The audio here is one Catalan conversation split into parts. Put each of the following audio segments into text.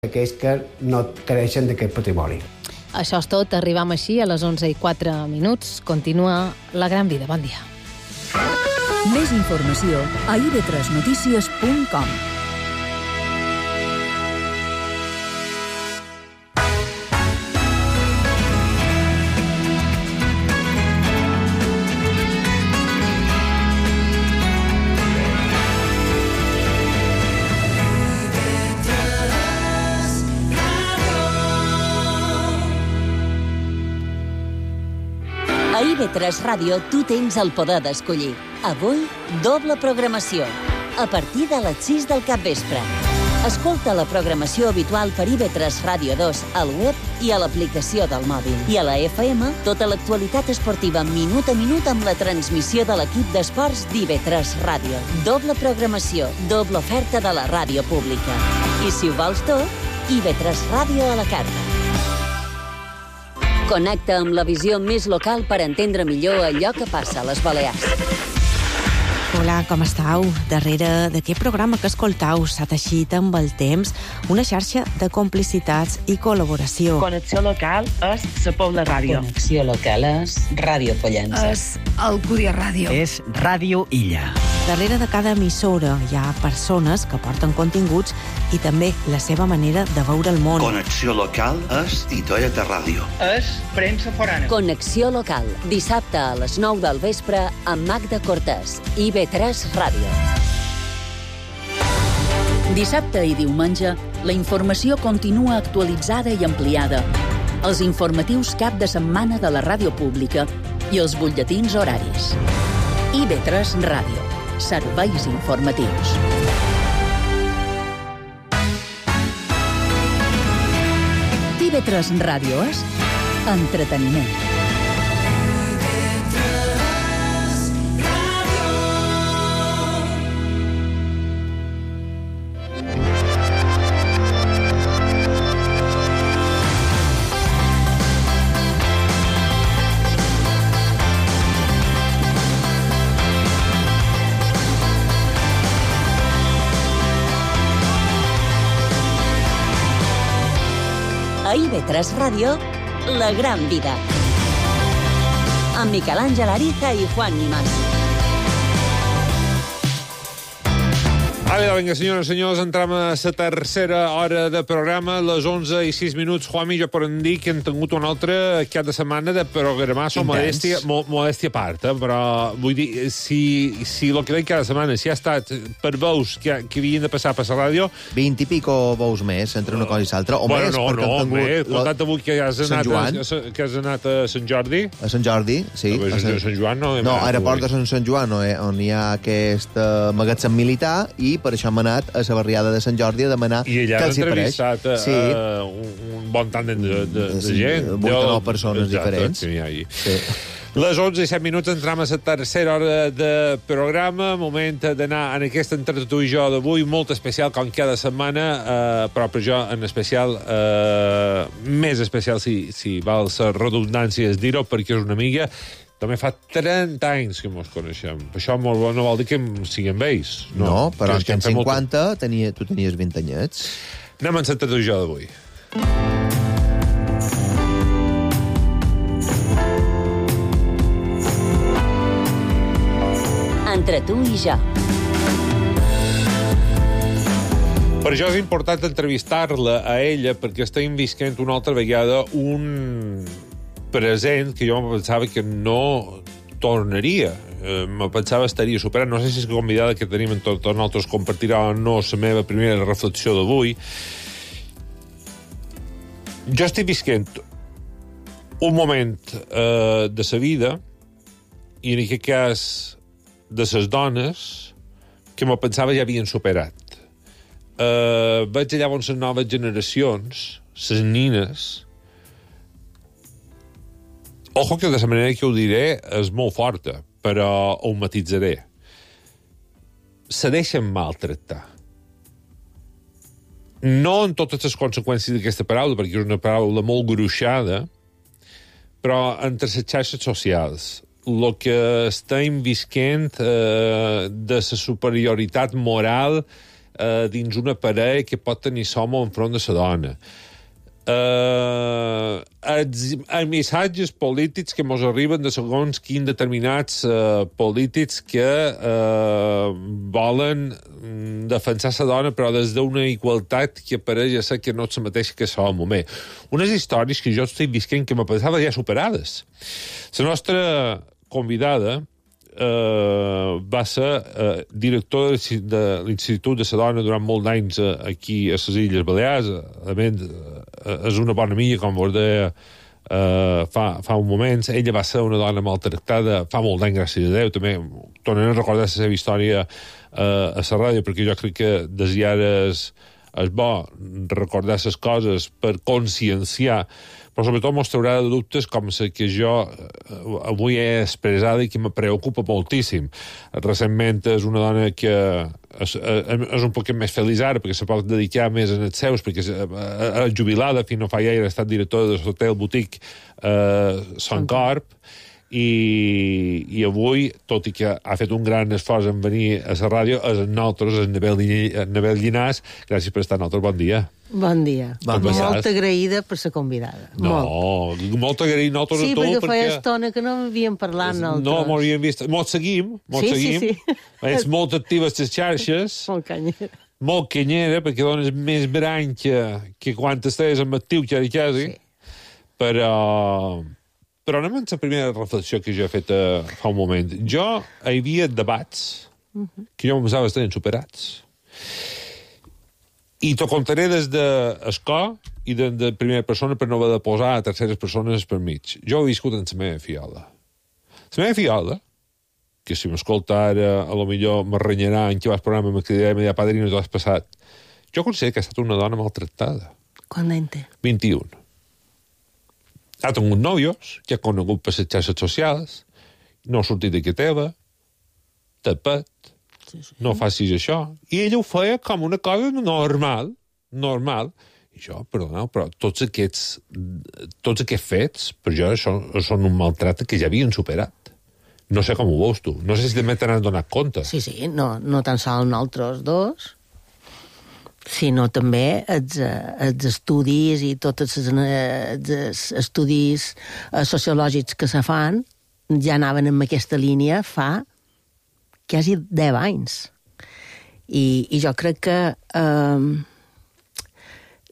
aquells que no creixen d'aquest patrimoni. Això és tot, arribam així a les 11:04. Continua La Gran Vida. Bon dia. Més informació a ib3notícies.com. A IB3 Ràdio tu tens el poder d'escollir. Avui, doble programació. A partir de les 6 del capvespre. Escolta la programació habitual per IB3 Ràdio 2 al web i a l'aplicació del mòbil. I a la FM, tota l'actualitat esportiva minut a minut amb la transmissió de l'equip d'esports d'IB3 Ràdio. Doble programació, doble oferta de la ràdio pública. I si ho vols tot, IB3 Ràdio a la carta. Connecta amb la visió més local per entendre millor allò que passa a les Balears. Hola, com estàu? Darrere d'aquest programa que escoltau s'ha teixit amb el temps una xarxa de complicitats i col·laboració. Connexió local és la Pobla Ràdio. Connexió local és Ràdio Pollença. És Alcúdia Ràdio. És Ràdio Illa. Darrere de cada emissora hi ha persones que porten continguts i també la seva manera de veure el món. Connexió local és Titoeta Ràdio. És premsa forana. Connexió local, dissabte a les 9 del vespre amb Magda Cortès, IB3 Ràdio. Dissabte i diumenge, la informació continua actualitzada i ampliada. Els informatius cap de setmana de la ràdio pública i els butlletins horaris. IB3 Ràdio. Serveis informatius. IB3 Ràdio és entreteniment. A IB3 Ràdio, La Gran Vida. Amb Miquel Àngel Ariza i Juan Nimas. Vinga, senyores i senyors, entrem a la tercera hora de programa, les 11:06. Juanmi, jo per dir que hem tingut una altra cap de setmana de programar som modèstia a part, però vull dir, si el que veig cada setmana, si ha estat per veus que havien de passar per la ràdio... 20 i pico veus més, entre una cosa i l'altra, o més, perquè hem tingut... Comptat avui que has anat a Sant Jordi. A Sant Jordi, sí. A Sant Joan no. No, a l'aeroport de Sant Joan, on hi ha aquest magatzem militar, i per això hem anat a la barriada de Sant Jordi a demanar què els hi pareix. I allà has entrevistat un bon tant de gent. 8 o 9 persones diferents. Sí. Les 11:07 entrem a la tercera hora de programa. Moment d'anar en aquest Entre tu i jo d'avui, molt especial, com cada setmana, però per jo en especial, més especial, si val la redundància és dir-ho, perquè és una amiga. També fa 30 anys que mos coneixem. Això no vol dir que siguem vells. No, però en tens 50, tu tenies 20 anyets. Anem a Entre tu i jo d'avui. Entre tu i jo. Per això és important entrevistar-la a ella, perquè estem visquent una altra vegada un present que jo me pensava que no tornaria. Me pensava estaria superat. No sé si és que convidada que tenim en tots nosaltres compartirà o no la meva primera reflexió d'avui. Jo estic visquent un moment de sa vida, i en aquest cas de ses dones, que me pensava ja havien superat. Veig llavors les noves generacions, les nines. Ojo que de la manera que ho diré és molt forta, però ho matitzaré. Se deixen maltractar. No en totes les conseqüències d'aquesta paraula, perquè és una paraula molt gruixada, però entre les xarxes socials, el que estem visquent de la superioritat moral dins una parella que pot tenir l'home enfront de la dona. Els missatges polítics que ens arriben de segons quins determinats polítics que volen defensar la dona però des d'una igualtat que pareix ser que no és la mateixa que l'home. Bé, unes històries que jo estic visquent que me pensava ja superades. La nostra convidada va ser director de l'Institut de la Dona durant molts anys aquí a les Illes Balears. A més, és una bona amiga, com vos deia fa un moment. Ella va ser una dona maltractada fa molt d'any, gràcies a Déu. També tornaré a recordar la seva història a la ràdio, perquè jo crec que des d'ara és bo recordar les coses per conscienciar, però sobretot mos traurà de dubtes com la que jo avui he expressada i que me preocupa moltíssim. Recentment és una dona que és un poc més feliç ara perquè se pot dedicar més en els seus, perquè és jubilada, fins no fa gaire ha estat directora de l'hotel boutique Son Corp, i avui, tot i que ha fet un gran esforç en venir a la ràdio, és en nosaltres, en Anabel Llinàs. Gràcies per estar amb nosaltres, bon dia. Bon dia. Molt agraïda per ser convidada. Molt agraïda nosaltres a tu. Sí, perquè feia estona que no m'havíem parlat nosaltres. No, m'havíem vist. Molt seguim. Sí. És molt activa a les xarxes. Molt canyera. Molt canyera, perquè dones més brany que quan estàs amb actiu, quasi. Però anem amb la primera reflexió que jo he fet fa un moment. Jo hi havia debats que jo em pensava estar superats. I t'ho contaré des d'escó i de primera persona per no haver de posar a terceres persones per mig. Jo he viscut en la meva fiola. La meva fiola, que si m'escolta ara, a lo millor me renyarà en què vas programa, me cridarà, me dirà, padrino, t'ho has passat. Jo considero que ha estat una dona maltractada. Quant d'any té? 21. Ha tingut nòvios, que ha conegut per les xarxes socials, no ha sortit de que teva, tapat, no facis això. I ella ho feia com una cosa normal. I jo, perdoneu, però tots aquests fets, per jo, són un maltracte que ja havien superat. No sé com ho veus tu. No sé si també te n'has donat compte. Sí, no tan sols nosaltres dos, sinó també els estudis i tots els estudis sociològics que se fan ja anaven en aquesta línia fa quasi 10 anys. I jo crec que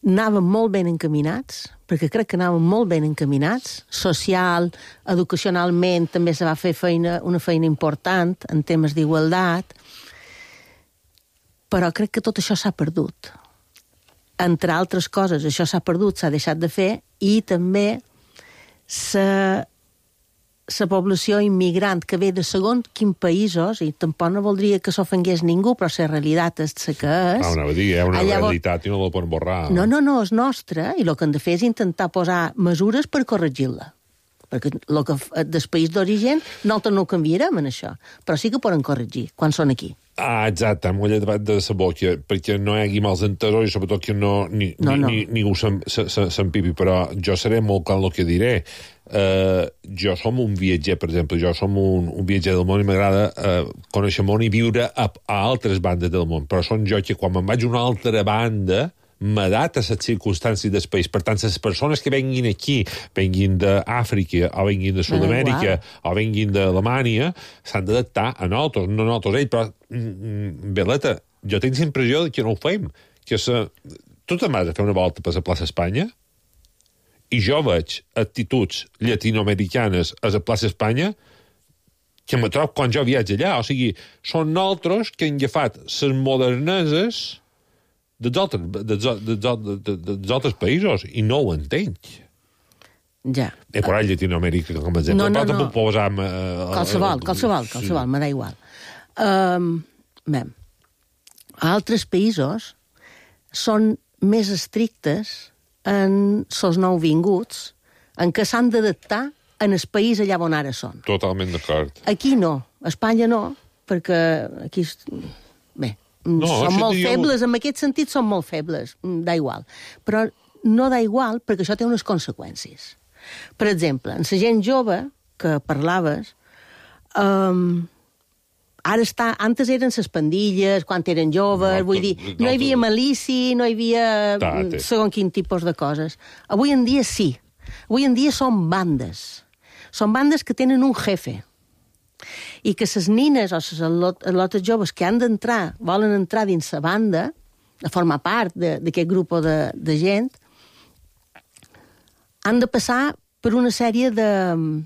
anàvem molt ben encaminats, perquè crec que anàvem molt ben encaminats, social, educacionalment també se va fer una feina important en temes d'igualtat, però crec que tot això s'ha perdut. Entre altres coses, això s'ha perdut, s'ha deixat de fer, i també la població immigrant que ve de segons quins països, i tampoc no voldria que s'ofengués ningú, però la realitat és la que és. Hi ha una realitat i no la poden borrar. No, és nostra, i el que hem de fer és intentar posar mesures per corregir-la. Perquè el que del país d'origen nosaltres no ho canviarem en això, però sí que poden corregir quan són aquí. Exacte, m'ho he llevat de la boca, perquè no hi hagi mals entesos i sobretot que ningú s'empipi, però jo seré molt clar en el que diré. Jo som un viatger, per exemple, jo som un viatger del món i m'agrada conèixer el món i viure a altres bandes del món, però són jo que quan me'n vaig a una altra banda m'adapta a les circumstàncies del país. Per tant, les persones que venguin aquí, venguin d'Àfrica, o venguin de Sud-amèrica, o venguin d'Alemanya, s'han d'adaptar a nosaltres, no a nosaltres ells, però, Beleta, jo tinc la impressió que no ho fem, que tu te'n vas a fer una volta per la plaça Espanya, i jo veig actituds llatinoamericanes a la plaça Espanya que me trobo quan jo viatge allà. O sigui, són nosaltres que han agafat les moderneses dels altres països i no ho entenc. Ja. He posat Llatinoamèrica com a exemple, però tampoc posam... Qualsevol, me da igual. A altres països són més estrictes en els nouvinguts, en què s'han d'adaptar en el país allà on ara són. Totalment d'acord. Aquí no, a Espanya no, perquè aquí... són molt febles, en aquest sentit són molt febles, da igual. Però no da igual perquè això té unes conseqüències. Per exemple, en la gent jove que parlaves, ara antes eren les pandilles, quan eren joves, vull dir, no hi havia malici, no hi havia segons quin tipus de coses. Avui en dia sí. Avui en dia són bandes. Són bandes que tenen un jefe. I que les nines o les lotes joves que han d'entrar, volen entrar dins la banda, a formar part d'aquest grup de gent, han de passar per una sèrie de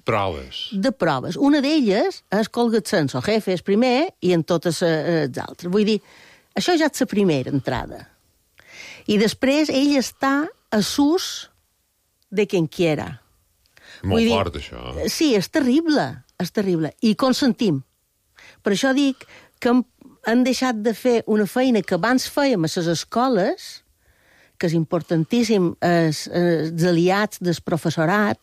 proves. Una d'elles és colgar-se en el jefe, és primer, i en totes les altres. Vull dir, això ja és la primera entrada. I després ell està a sus de quien quiera. Molt fort, això. Sí, és terrible. I consentim. Per això dic que han deixat de fer una feina que abans fèiem a les escoles, que és importantíssim, els aliats del professorat,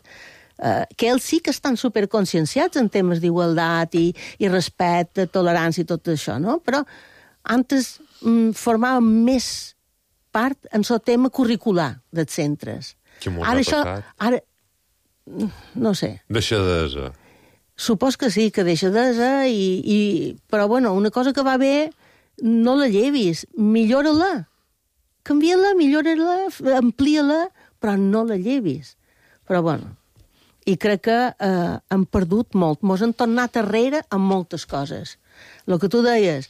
que ells sí que estan superconscienciats en temes d'igualtat i respecte, tolerància i tot això, no? Però antes formàvem més part en el tema curricular dels centres. Què m'ho ha passat? Ara, no sé. Deixadesa. Supos que sí, que deixadesa, però bueno, una cosa que va bé, no la llevis, millora-la. Canvia-la, millora-la, amplia-la, però no la llevis. Però bueno, i crec que hem perdut molt. Mos han tornat arrere amb moltes coses. El que tu deies,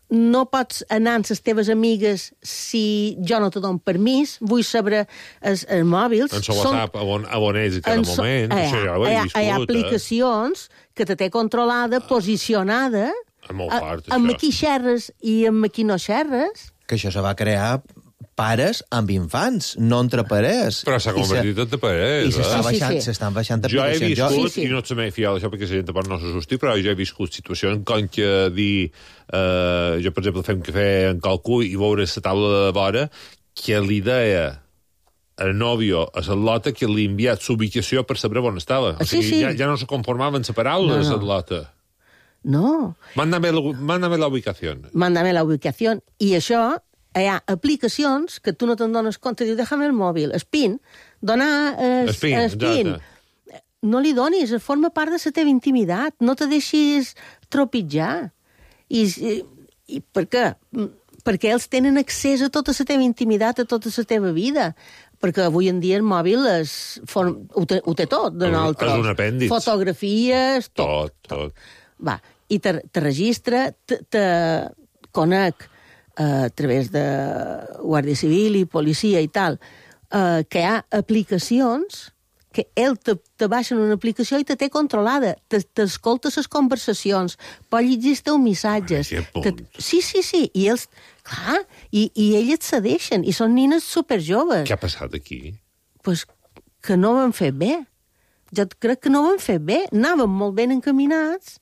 no pots anar amb les teves amigues si jo no te dono permís, vull saber els mòbils. En el WhatsApp, on ets a cada moment, això ja ho he viscut. Hi ha aplicacions que te té controlada, posicionada, amb qui xerres i amb qui no xerres. Que això se va crear pares amb infants, no entre parers. Però s'ha convertit en parers, I s'estan baixant aplicacions. Jo he viscut, i no ets mai fiar d'això perquè la gent no s'assusti, però jo he viscut situacions com que dir... jo, per exemple, fem cafè en qualcú i veure la taula de vora que li deia el nòvio a la lota que li ha enviat l'ubicació per saber on estava. O sigui, ja no se conformaven les paraules a la lota. No. Mándame la ubicació. Mándame la ubicació. I això, hi ha aplicacions que tu no te'n dones compte, diu, déjame el mòbil. Espín, donar espín. No li donis, forma part de la teva intimitat. No te deixis tropitjar. I per què? Perquè ells tenen accés a tota la teva intimitat, a tota la teva vida. Perquè avui en dia el mòbil ho té tot de nosaltres. És un apèndix. Fotografies, tot. Va, i te registra, te conec a través de Guàrdia Civil i policia i tal, que hi ha aplicacions que ell te baixen una aplicació i te té controlada, t'escolta les conversacions, pot llegir els teus missatges. Sí, i ells, clar, i ells et cedeixen, i són nines superjoves. Què ha passat aquí? Pues que no ho han fet bé. Jo crec que no ho han fet bé. Anàvem molt ben encaminats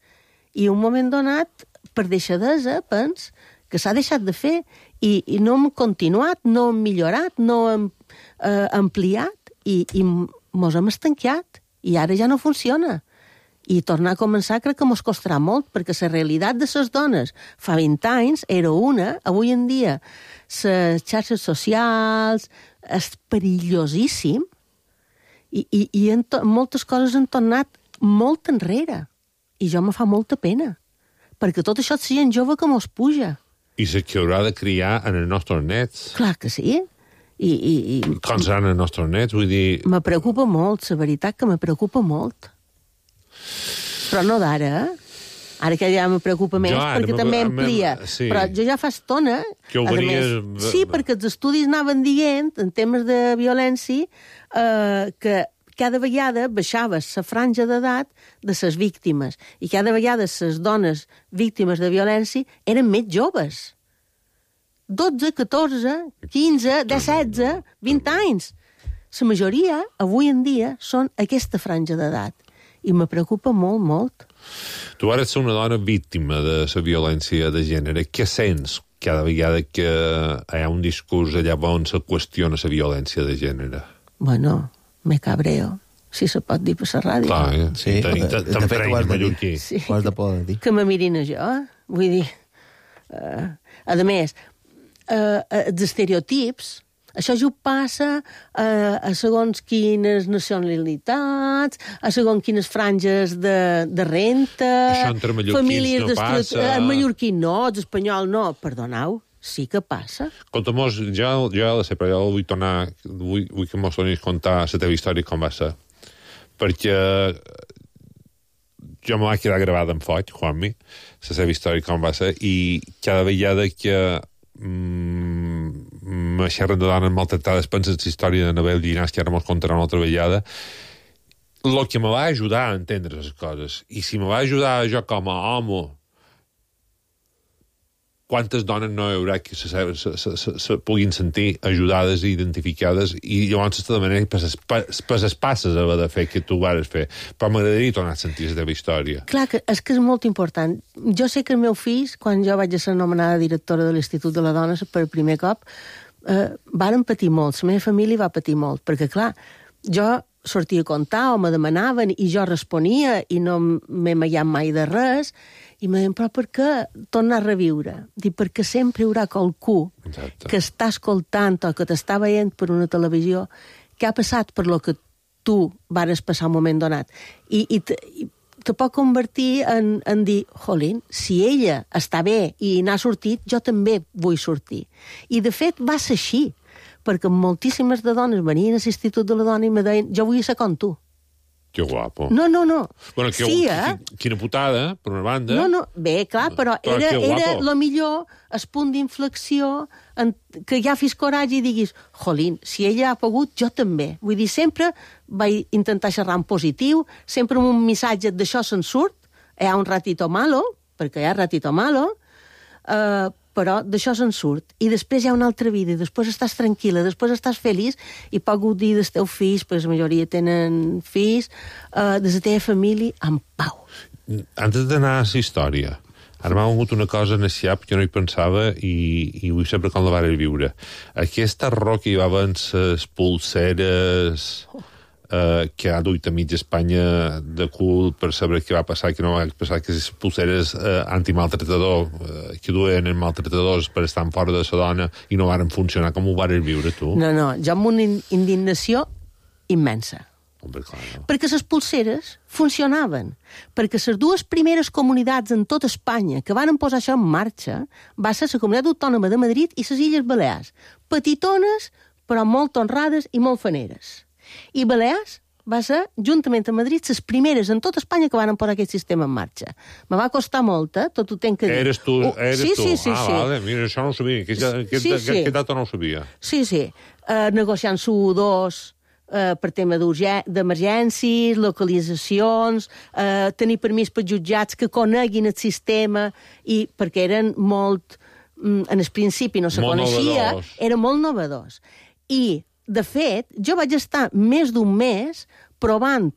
i un moment donat, per deixadesa, pens que s'ha deixat de fer i no hem continuat, no hem millorat, no hem ampliat i mos hem estanquiat i ara ja no funciona. I tornar a començar crec que mos costarà molt, perquè la realitat de les dones fa 20 anys era una, avui en dia les xarxes socials és perillosíssim i moltes coses han tornat molt enrere. I jo me fa molta pena, perquè tot això és gent jove que mos puja. I se que haurà de criar en els nostres nets. Clar que sí. Com seran els nostres nets? Vull dir... Me preocupa molt, la veritat que me preocupa molt. Però no d'ara, Ara que ja me preocupa més, perquè també amplia. Sí. Però jo ja fa estona... Que ho venies... Sí, perquè els estudis anaven dient, en temes de violència, que cada vegada baixava la franja d'edat de les víctimes i cada vegada les dones víctimes de violència eren més joves. 12, 14, 15, 16, 20 anys. La majoria, avui en dia, són aquesta franja d'edat. I me preocupa molt, molt. Tu ara ets una dona víctima de la violència de gènere. Què sents cada vegada que hi ha un discurs allà on se qüestiona la violència de gènere? Bueno, me cabreo, si se pot dir per la ràdio. Clar, sí, t'emprenya mallorquí. Sí, ho has de poder dir. Que me mirin a jo, Vull dir... a més, els estereotips Això ja passa a segons quines nacionalitats, a segons quines franges de renta... Això entre mallorquins no passa... En mallorquí no, els espanyol no. Perdoneu, sí que passa. Escolta-mos, jo la sé, però jo vull tornar... Vull que mos donis contar la teva història com va ser. Perquè jo me va quedar gravada en foc, Juanmi, la seva història com va ser, i cada vegada que me xerren de dones maltractades, penses la història de Nabel Llinàs, que ara mos contarà una altra vegada, el que me va ajudar a entendre les coses, i si me va ajudar jo com a home, quantes dones no hi haurà que se puguin sentir ajudades i identificades, i llavors de manera per les passes haver de fer que tu vares fer. Però m'agradaria tornar a sentir la teva història. Clar, és que és molt important. Jo sé que els meus fills, quan jo vaig ser nomenada directora de l'Institut de la Dona per primer cop, varen patir molt, la meva família va patir molt, perquè clar, jo sortia a contar o me demanaven i jo responia i no m'he mallat mai de res, i me deien, però per què tornar a reviure? Dic, perquè sempre hi haurà qualcú que està escoltant o que t'està veient per una televisió que ha passat per lo que tu vares passar un moment donat. I te pot convertir en dir, jolín, si ella està bé i n'ha sortit, jo també vull sortir. I de fet va ser així, perquè moltíssimes de dones venien a l'Institut de la Dona i me deien, jo vull ser com tu. Que guapo. No. Bueno, sí, quina putada, per una banda. No, bé, clar, però era lo millor el punt d'inflexió que ja fes coratge i diguis, jolín, si ella ha pogut, jo també. Vull dir, sempre vaig intentar xerrar en positiu, sempre amb un missatge d'això se'n surt, hi ha un ratito malo, perquè hi ha ratito malo, però d'això se'n surt. I després hi ha una altra vida, i després estàs tranquil·la, després estàs feliç i pots gaudir dels teus fills, perquè la majoria tenen fills, de la teva família, en pau. Antes d'anar a la història, ara m'ha vingut una cosa en el xap que no hi pensava i vull saber com la vares viure. Aquesta arró que hi va haver les pulseres... que ha duit a mitja Espanya de cul per saber què va passar, que no va passar, que les pulseres antimaltratador que duen els maltratadors per estar fora de la dona i no varen funcionar. Com ho vares viure, tu? No, jo amb una indignació immensa. Home, clar, no. Perquè les pulseres funcionaven. Perquè les dues primeres comunitats en tota Espanya que van posar això en marxa va ser la Comunitat Autònoma de Madrid i les Illes Balears. Petitones, però molt honrades i molt faneres. I Balears va ser, juntament amb Madrid, les primeres en tota Espanya que van posar aquest sistema en marxa. Me va costar molt, tot ho tenc que dir. Eres tu? Sí. Vale, mira, això no ho sabia. Aquest dato no ho sabia. Sí. Negociant SU2 per tema d'emergències, localitzacions, tenir permís per jutjats que coneguin el sistema, i perquè eren molt... En el principi no se coneixia, era molt novedós. I de fet, jo vaig estar més d'un mes provant,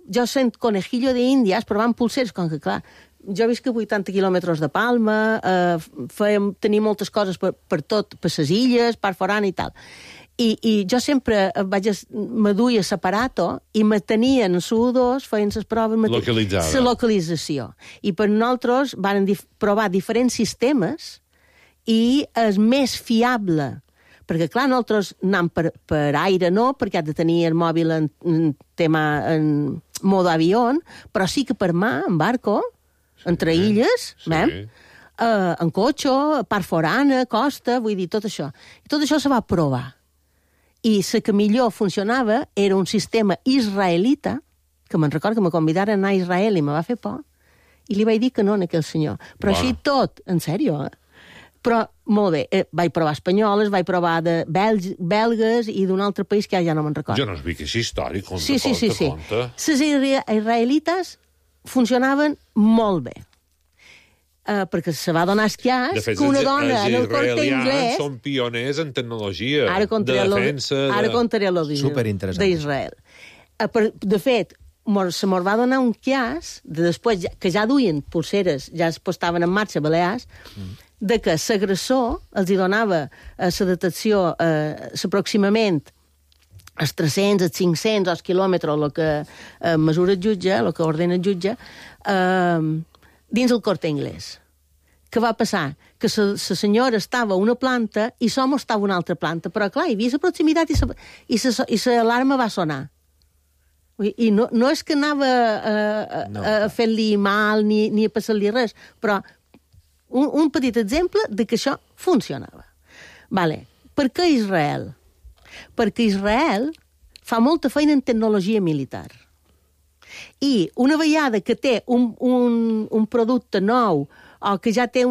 jo sent conejillo d'Índies, provant pulseres, com que, clar, jo visc a 80 quilòmetres de Palma, tenia moltes coses per tot, per les illes, per forana i tal. I jo sempre me duia separato i me tenien SU2, feien les proves... Localitzada. La localització. I per nosaltres van provar diferents sistemes i el més fiable, perquè, clar, nosaltres anem per aire no, perquè has de tenir el mòbil en modo avió, però sí que per mà, en barco, entre illes, en cotxe, part forana, costa, vull dir, tot això. I tot això se va provar. I la que millor funcionava era un sistema israelita, que me'n recordo que me convidaren a anar a Israel i me va fer por, i li vaig dir que no a aquell senyor. Però així tot, en sèrio, Però, molt bé, vaig provar espanyoles, vaig provar de belgues i d'un altre país que ja no me'n recordo. Jo no sabia que és històric, conta. Sí. Les israelites funcionaven molt bé. Perquè se va donar esquiàs que una dona en el Corte Inglés... Els israelians són pioners en tecnologia de defensa... Ara contaré l'origen d'Israel. De fet, se mos va donar un quiàs, després que ja duien pulseres, ja es postaven en marxa Balears, de que l'agressor els hi donava la detecció aproximament els 300, els 500, els quilòmetres, el que mesura el jutge, el que ordena el jutge, dins el Corte Inglés. Què va passar? Que la senyora estava a una planta i l'home estava a una altra planta. Però, clar, hi havia la proximitat i l'alarma va sonar. I no és que anava a fer-li mal ni a passar-li res, però un petit exemple de que això funcionava. Vale. Per què Israel? Perquè Israel fa molta feina en tecnologia militar. I una vegada que té un producte nou o que ja té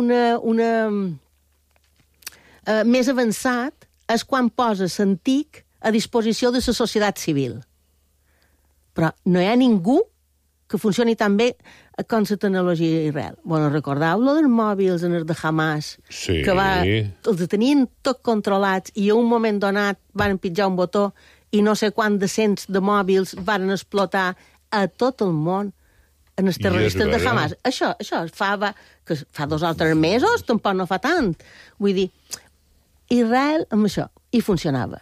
més avançat, és quan posa l'antic a disposició de la societat civil. Però no hi ha ningú que funcioni tan bé com la tecnologia d'Israel. Bueno, recordeu lo dels mòbils en els de Hamas? Sí. Que els tenien tot controlats i a un moment donat van pitjar un botó i no sé quant de cents de mòbils van explotar a tot el món en els terroristes de Hamas. Això fa 2 o 3 mesos, tampoc no fa tant. Vull dir, Israel amb això, i funcionava.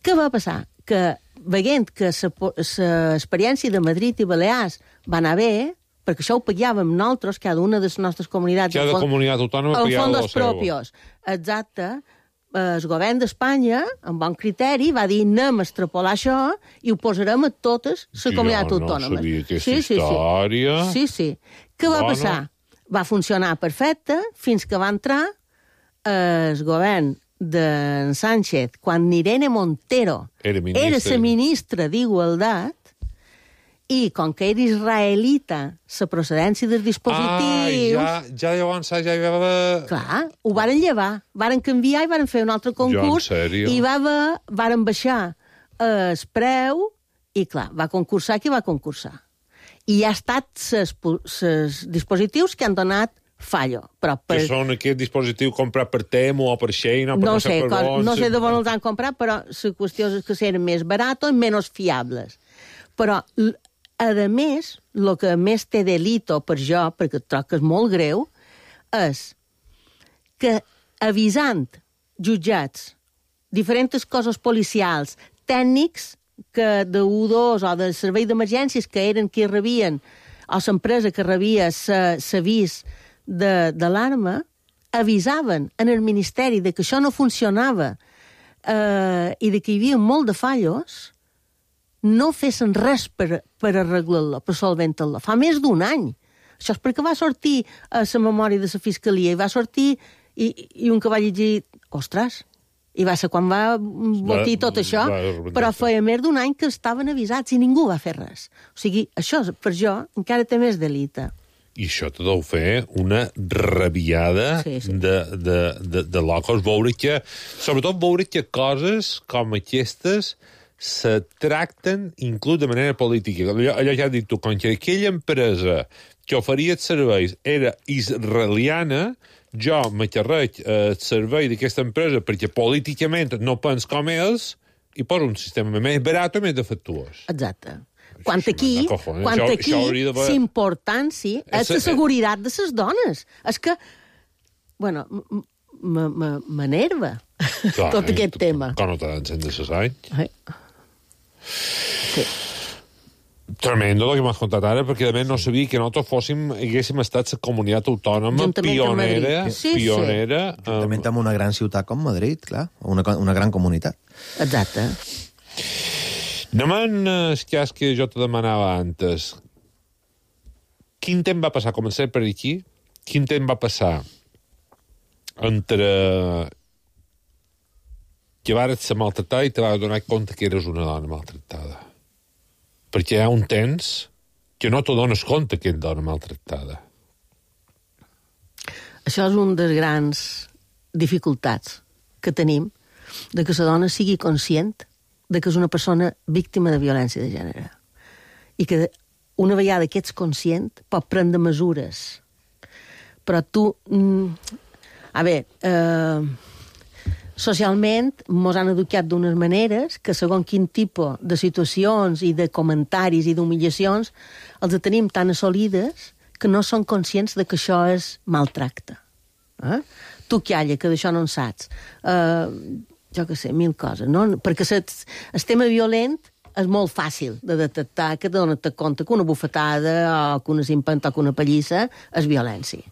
Què va passar? Que veient que l'experiència de Madrid i Balears va anar bé, perquè això ho pagàvem nosaltres, cada una de les nostres comunitats... Cada comunitat autònoma pagava la seva. Fondos propios. Exacte. El govern d'Espanya, amb bon criteri, va dir anem a extrapolar això i ho posarem a totes les comunitats autònomes. No sabia aquesta història. Sí. Què va passar? Va funcionar perfecte fins que va entrar el govern de Sánchez, quan Irene Montero era la ministra d'Igualtat, i com que era israelita la procedència dels dispositius... Ja llavors ja hi va... Clar, ho varen llevar, varen canviar i varen fer un altre concurs i varen baixar el preu i, clar, va concursar qui va concursar. I ha estat els dispositius que han donat fallo. Que són aquests dispositius comprat per Temu o per Shein o per no sé de on els han comprat, però la qüestió és que eren més baratos i menys fiables. Però, a més, el que més té delito per jo, perquè trobo que és molt greu, és que avisant jutjats, diferents cossos policials, tècnics que de U2 o del servei d'emergències que eren qui rebien, o l'empresa que rebia l'avís d'alarma, avisaven en el Ministeri de que això no funcionava i de que hi havia molt de fallos, no fessin res per arreglar-lo, per solventar-lo. Fa més d'un any. Això és perquè va sortir a la memòria de la Fiscalia i va sortir i un que va llegir... Ostres! I va ser quan va botir tot això, però feia més d'un any que estaven avisats i ningú va fer res. O sigui, això, per jo, encara té més delita. I això te deu fer una rabiada de locos. Sobretot veure que coses com aquestes se tracten inclús de manera política. Allò ja has dit tu, com que aquella empresa que oferia els serveis era israeliana, jo m'acarreig el servei d'aquesta empresa perquè políticament no pens com ells i poso un sistema més barat o més defectuós. Exacte. Quan aquí l'importància és la seguretat de les dones. És que, bueno, m'enerva tot aquest tema. Com no t'han encès de ses anys? Sí. Tremendo el que m'has contat ara, perquè a més no sabia que nosaltres haguéssim estat la comunitat autònoma pionera. Juntament amb una gran ciutat com Madrid, clar, una gran comunitat. Exacte. Anem al cas que jo te demanava antes. Quin temps va passar? Comencem per aquí. Quin temps va passar entre que vares ser maltratada i te vas donar compte que eres una dona maltratada? Perquè hi ha un temps que no te dones compte que ets dona maltratada. Això és una de les grans dificultats que tenim, de que la dona sigui conscient de que és una persona víctima de violència de gènere. I que una vegada que ets conscient pot prendre mesures. Però tu... socialment mos han educat d'unes maneres que segons quin tipus de situacions i de comentaris i d'humillacions els tenim tan assolides que no són conscients de que això és maltracte. Tu, calla, que d'això no en saps. Jo què sé, 1000 coses, no? Perquè el tema violent és molt fàcil de detectar, que te dones compte que una bufetada o que una cimpanta o que una pallissa és violència.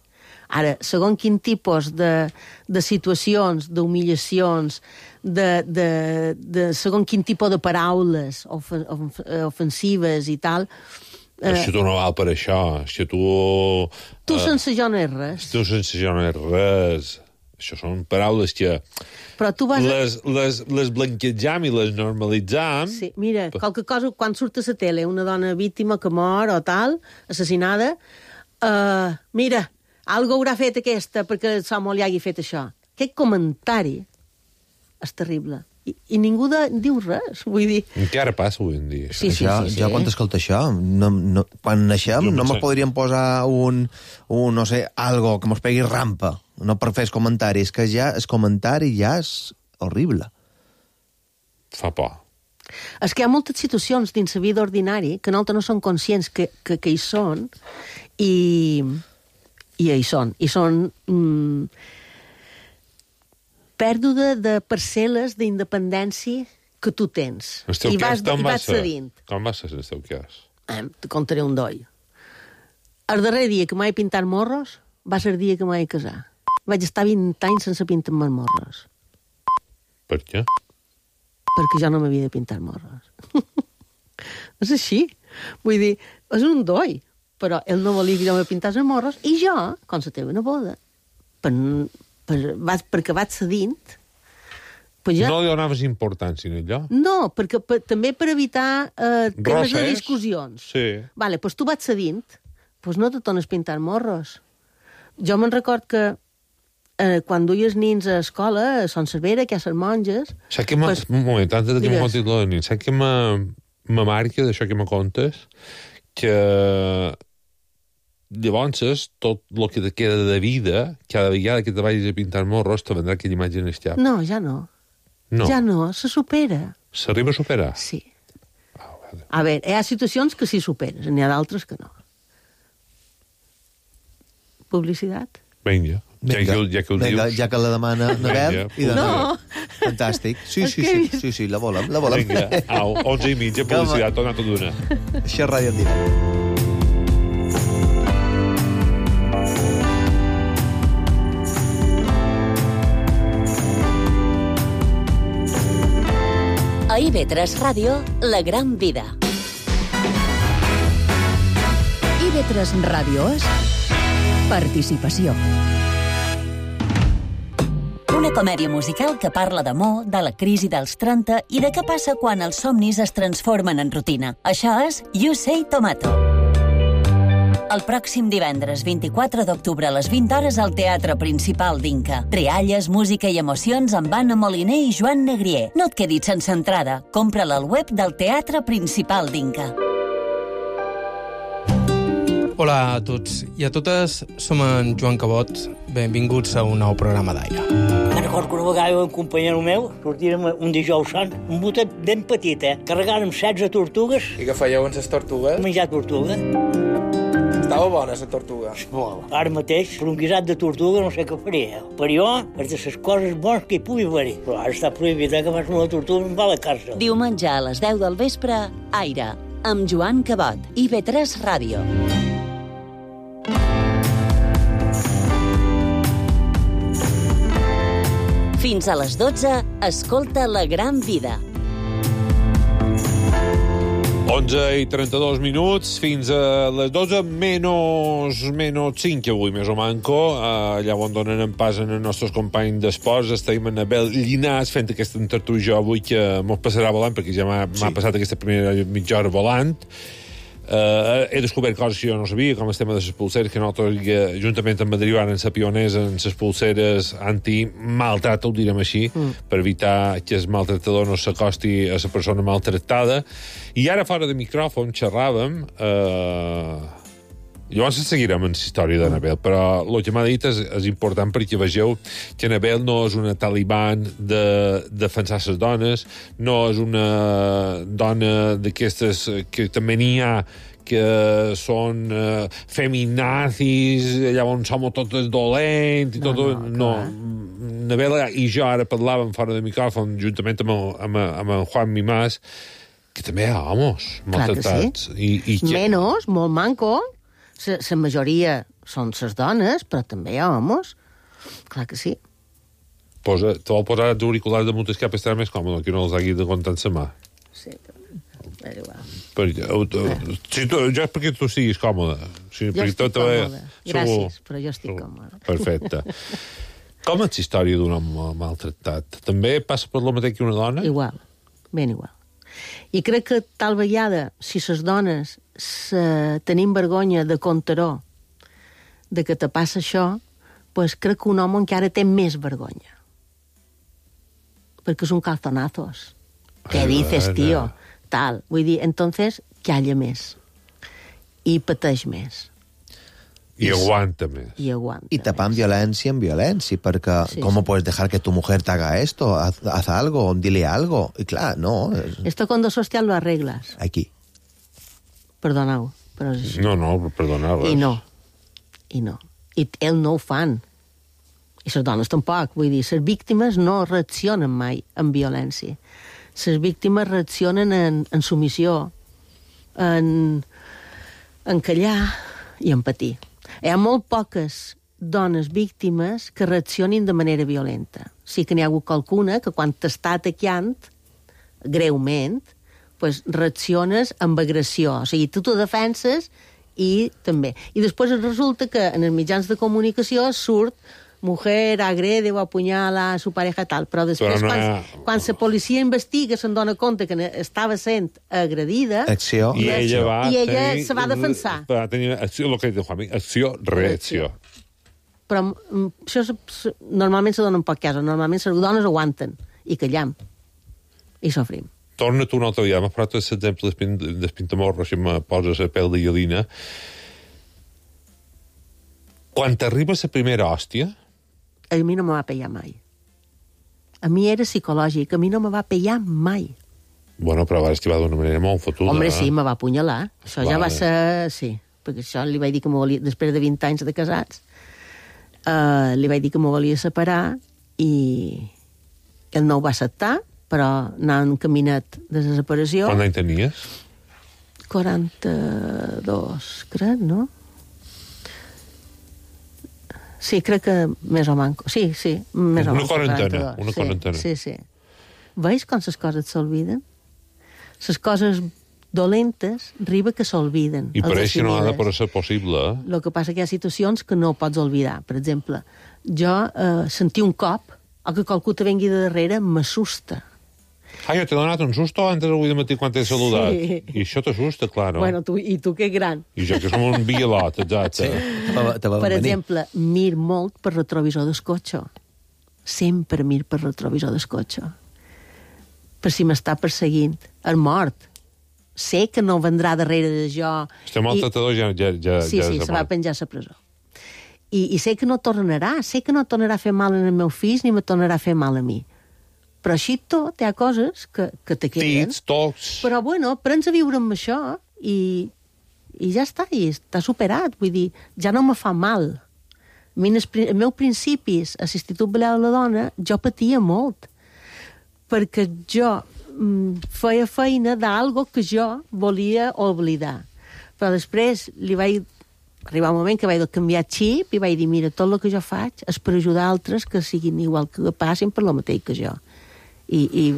Ara, segons quin tipus de situacions, d'humillacions, de segons quin tipus de paraules ofensives i tal... Si tu no val per això, si tu... Tu sense jo no és res. Tu sense jo no és res. Això són paraules que... Però tu vas... Les blanquejam i les normalitzam... Sí, mira, qualque cosa, quan surt a la tele una dona víctima que mor o tal, assassinada, mira, algo haurà fet aquesta perquè l'home li hagi fet això. Aquest comentari és terrible. I ningú diu res, vull dir... Encara passa avui en dia. Sí. Jo quan t'escolto això, quan naixem no mos podríem posar no sé, algo que mos pegui rampa, no per fer els comentaris, que ja el comentari ja és horrible. Fa por. És que hi ha moltes situacions dins la vida ordinari que nosaltres no som conscients que hi són i hi són. I són... pèrdua de parcel·les d'independència que tu tens. I vas cedint. Com va ser el teu cas? Te contaré un doll. El darrer dia que m'he pintat morros va ser el dia que m'he casat. Vaig estar 20 anys sense pintar-me morros. Per què? Perquè jo no m'havia de pintar morros. És així. Vull dir, és un doll. Però ell no volia que jo me pintàs morros i jo, com la teva neboda, perquè vaig cedint... Ja... No li donaves importància a allò? No, perquè també per evitar temes de discussions. Sí. Vale, doncs tu vaig cedint, doncs no te tornes pintant morros. Jo me'n record que quan duies nins a escola, a Son Cervera, que hi ha les monges... Saps que un moment, antes de que me contis lo de nins, saps que me marca d'això que me contes, que... Llavors, tot el que te queda de vida, cada vegada que te vagis a pintar morros, te vendrà aquella imatge en el cap. No, ja no. Ja no, se supera. S'arriba a superar? Sí. A veure, hi ha situacions que sí superes, n'hi ha d'altres que no. Publicitat? Vinga. Ja que ho dius. Ja que la demana Nabel. No. Fantàstic. Sí, la volem. Vinga, au, 11:30, publicitat, torna tot d'una. Això és Ràdio en Directe. A IB3 Ràdio, La Gran Vida. IB3 Ràdio és participació. Una comèdia musical que parla d'amor, de la crisi dels 30 i de què passa quan els somnis es transformen en rutina. Això és You Say Tomato. El pròxim divendres 24 d'octubre a les 20 hores al Teatre Principal d'Inca. Rialles, música i emocions amb Anna Moliner i Joan Negrier. No et quedis sense entrada. Compra-la al web del Teatre Principal d'Inca. Hola a tots i a totes, som en Joan Cabot. Benvinguts a un nou programa d'Aire. Me'n recordo que una vegada un companyero meu sortirem un dijous sant, un botet ben petit, carregàrem 16 tortugues. I què fèieu amb les tortugues? Menjar tortuga. Estava bona, la tortuga. Ara mateix, per un guisat de tortuga no sé què faria. Per jo, és de les coses bones que hi pugui haver. Però ara està prohibit que fas una tortuga i va a la càrcel. Diumenge a les 10 del vespre, Aire, amb Joan Cabot, IB3 Ràdio. Fins a les 12, escolta La Gran Vida. 11:32 fins a les 12, menys 5 avui, més o manco. Allà on donen en pas en els nostres companys d'esports. Estem en Abel Llinàs fent aquesta tertúlia avui que mos passarà volant, perquè ja m'ha passat aquesta primera mitja hora volant. He descobert coses que jo no sabia, com el tema de les pulseres, que nosaltres, juntament amb Madrid, van ser pioners en les pulseres anti-maltrat, ho direm així, per evitar que el maltratador no s'acosti a la persona maltractada. I ara, fora de micròfon, xerràvem... Llavors seguirem en la història d'Anabel, però el que m'ha dit és important perquè vegeu que Anabel no és una taliban de defensar les dones, no és una dona d'aquestes que també n'hi ha que són feminazis, llavors som totes dolents i tot... No. Anabel i jo ara parlàvem fora de micròfon juntament amb en Juan Mimàs, que també hi ha homes maltratats. Clar que sí. Menos, molt manco. La majoria són les dones, però també hi ha homes. Clar que sí. Te vol posar els auriculars damunt el cap i estarà més còmode, que no els hagi de comptar en sa mà. Sí, és igual. Jo és perquè tu siguis còmode. Jo estic còmode. Gràcies, però jo estic còmode. Perfecte. Com és la història d'un home maltractat? També passa per lo mateix que una dona? Igual, ben igual. I crec que tal vegada, si les dones tenim vergonya de contar-ho, de que te passa això, pues crec que un home encara té més vergonya. Perquè és un calzonazos. Què dices, tío? Tal. Vull dir, entonces, calla més. I pateix més. I aguanta més. I aguanta. Y tapan violència en violència, perquè ¿cómo puedes dejar que tu mujer te haga esto? Haz algo, dile algo. Y claro, no. Esto cuando social lo arreglas. Aquí. Perdoneu, però és així. No, perdoneu. I no. I ell no ho fan. I les dones tampoc. Vull dir, les víctimes no reaccionen mai en violència. Les víctimes reaccionen en submissió, en callar i en patir. Hi ha molt poques dones víctimes que reaccionin de manera violenta. Sí que n'hi ha hagut qualcuna que quan t'està atacant greument, pues reacciones amb agressió. O sigui, tu t'ho defenses i també. I després resulta que en els mitjans de comunicació surt mujer agrede o apunyala a su pareja tal, però després quan la policia investiga se'n dona compte que estava sent agredida i ella se va defensar. Va tenir acció, el que diu Juanmi, acció-reacció. Però això normalment se dona en poc cas, normalment les dones aguanten i callam i sofrim. Torna tu un altre dia, m'ha parlat l'exemple del pintamorro, si me poses a pèl de gallina. Quan t'arriba la primera hòstia... A mi no me va pegar mai. A mi era psicològic, a mi no me va pegar mai. Bueno, però va estivar d'una manera molt fotuda. Home, sí, me va apunyalar. Això ja va ser... Sí, perquè això li vaig dir que m'ho volia... Després de 20 anys de casats, li vaig dir que m'ho volia separar i ell no ho va acceptar, però anava encaminat de la separació. Quant any tenies? 42, crec, no? Sí, crec que més o manco. Sí, més o manco. Una quarantena. Sí. Veus com les coses s'olviden? Les coses dolentes arriba que s'olviden. I per això no ha de ser possible. El que passa que hi ha situacions que no pots oblidar. Per exemple, jo sentir un cop o que qualcú te vengui de darrere m'assusta. Jo t'he donat un susto antes avui de matí quan t'he saludat. Sí. I això t'assusta, clar, no? Bueno, tu que gran. I jo que som un bielot, exacte. Sí. Per exemple, mir molt per retrovisor del cotxe. Sempre mir per retrovisor del cotxe. Per si m'està perseguint. És mort. Sé que no vendrà darrere de jo. Estem maltratador ja Sí, se va penjar a la presó. I sé que no tornarà. Sé que no tornarà a fer mal en el meu fill ni me tornarà a fer mal a mi. Però així tot, hi ha coses que te queden. Tits, tocs... Però, bueno, prens a viure amb això i ja està, i està superat. Vull dir, ja no me fa mal. A mi, els meus principis a l'Institut Balear de la Dona, jo patia molt. Perquè jo feia feina d'algo que jo volia oblidar. Però després li vaig arribar un moment que vaig canviar xip i vaig dir, mira, tot el que jo faig és per ajudar altres que siguin igual, que passin per lo mateix que jo. I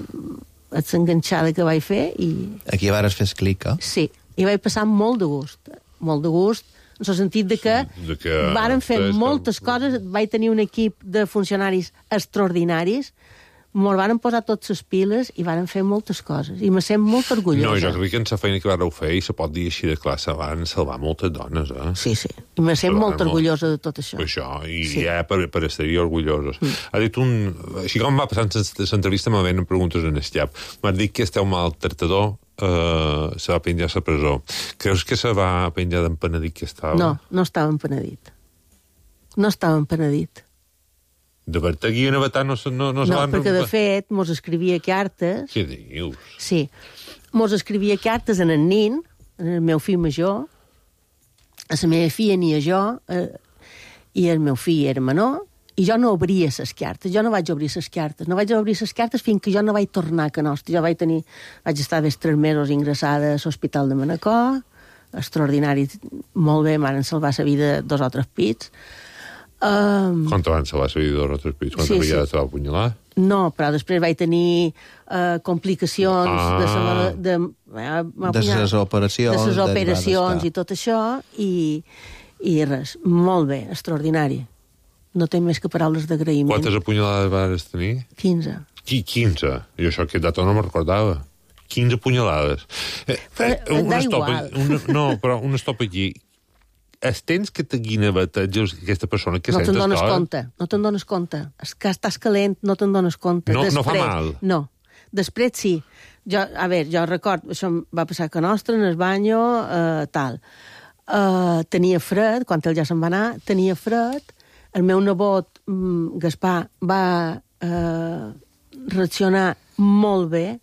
és enganxada que vaig fer i... Aquí vares fer clic, eh? Sí, i vaig passar molt de gust, en el sentit de que varen fer moltes coses, vaig tenir un equip de funcionaris extraordinaris, me'l varen posar tots les piles i varen fer moltes coses, i me sent molt orgullosa. No, jo crec que en la feina que vareu fer, i se pot dir així de classe, van salvar moltes dones, eh? Sí, i me sent molt orgullosa de tot això. Per això, i ja per estar-hi orgullosos. Ha dit així com va passant l'entrevista, me venen preguntes en el xap. M'has dit que esteu maltractador, se va penjar a la presó. Creus que se va penjar d'empenedit que estava? No estava empenedit. No estava empenedit. De Bertegui en Avatà no se van... No, perquè de fet mos escrivia cartes... Què dius? Sí, mos escrivia cartes en el nin, en el meu fill major, a la meva filla ni a jo, i el meu fill era menor, i jo no obria les cartes, jo no vaig obrir les cartes, no vaig obrir les cartes fins que jo no vaig tornar a Canosti. Jo vaig estar des 3 mesos ingressada a l'Hospital de Manacor, extraordinari, molt bé, m'han salvat la vida 2 o 3 pits. Quan te van salvar la vida 2 o 3 pits? Quan te te va apunyalar? No, però després vaig tenir complicacions de les operacions i tot això, i res, molt bé, extraordinari. No té més que paraules d'agraïment. Quantes apunyalades vas tenir? 15. 15? Jo això aquest dato no me'n recordava. 15 apunyalades. Igual. No, però un stop aquí. Els temps que te guineveteges aquesta persona que sents no te'n dones compte. És que estàs calent, no te'n dones compte. No fa mal? No. Després sí. Jo recordo, això em va passar que nostre, en el banyo, tal. Tenia fred, quan ell ja se'n va anar, tenia fred. El meu nebot, Gaspar, va reaccionar molt bé,